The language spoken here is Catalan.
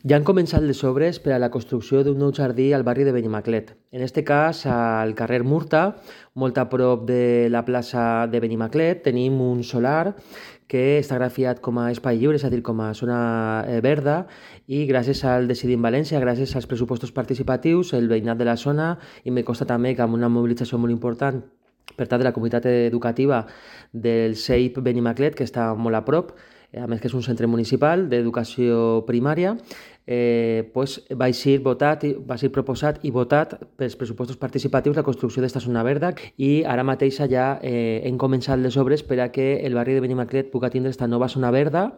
Ja han començat les obres per a la construcció d'un nou jardí al barri de Benimaclet. En este cas, al carrer Murta, molt a prop de la plaça de Benimaclet, tenim un solar que està grafiat com a espai lliure, és a dir, com a zona verda, i gràcies al Decidim València, gràcies als pressupostos participatius, el veïnat de la zona, i me consta també que amb una mobilització molt important per part de la comunitat educativa del CEIP Benimaclet, que està molt a prop, a més que és un centre municipal d'educació primària, va ser proposat i votat pels pressupostos participatius la construcció d'esta zona verda, i ara mateix ja hem començat les obres per a que el barri de Benimaclet pugui tindre esta nova zona verda